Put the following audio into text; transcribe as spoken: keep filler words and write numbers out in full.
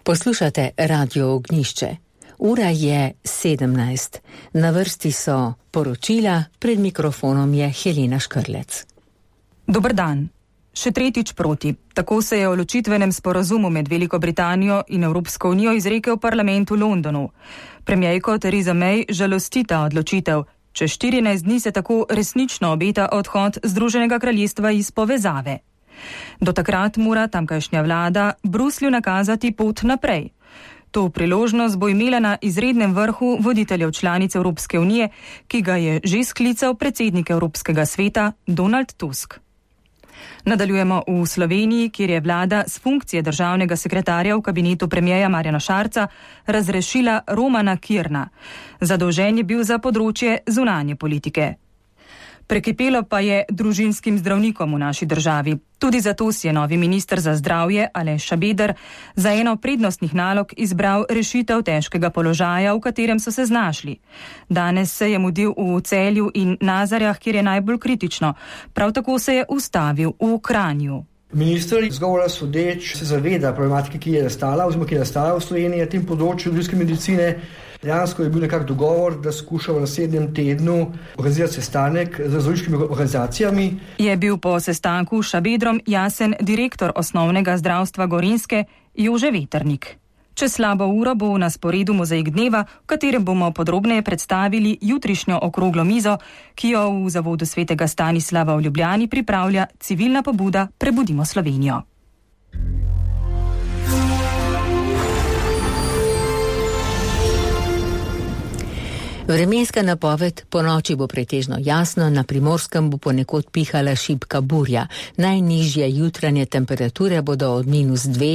Poslušate Radio Ognjišče. Ura je sedemnajst. Na vrsti so poročila, pred mikrofonom je Helena Škrlec. Dober dan. Še tretjič proti. Tako se je o ločitvenem sporazumu med Veliko Britanijo in Evropsko unijo izrekel parlament v Londonu. Premierko Theresa May žalosti ta odločitev. Čez štirinajst dni se tako resnično obeta odhod Združenega kraljestva iz povezave. Do takrat mora tamkajšnja vlada Bruslju nakazati pot naprej. To priložnost bo imela na izrednem vrhu voditeljev članic Evropske unije, ki ga je že sklical predsednik Evropskega sveta Donald Tusk. Nadaljujemo v Sloveniji, kjer je vlada s funkcije državnega sekretarja v kabinetu premierja Marjana Šarca razrešila Romana Kirna. Zadolžen je bil za področje zunanje politike. Prekipelo pa je družinskim zdravnikom v naši državi. Tudi zato si je novi minister za zdravje Aleš Šabeder za eno prednostnih nalog izbral rešitev težkega položaja, v katerem so se znašli. Danes se je mudil v Celju in Nazarjah, kjer je najbolj kritično. Prav tako se je ustavil v Kranju. Minister izgovora sodeč se zaveda problematike, ki je nastala, oziroma ki je nastala v Sloveniji na tem področju družinske medicine. Dejansko je bil nekak dogovor, da skušamo v naslednjem tednu organizirati sestanek z zdravniškimi organizacijami. Je bil po sestanku s Šabedrom jasen direktor osnovnega zdravstva Gorenjske Jože Veternik. Čez slabo uro bo na sporedu Mozaik dneva, v katerem bomo podrobneje predstavili jutrišnjo okroglo mizo, ki jo v Zavodu svetega Stanislava v Ljubljani pripravlja civilna pobuda Prebudimo Slovenijo. Vremenska napoved: ponoči bo pretežno jasno, na Primorskem bo ponekod pihala šibka burja. Najnižje jutranje temperature bodo od minus dve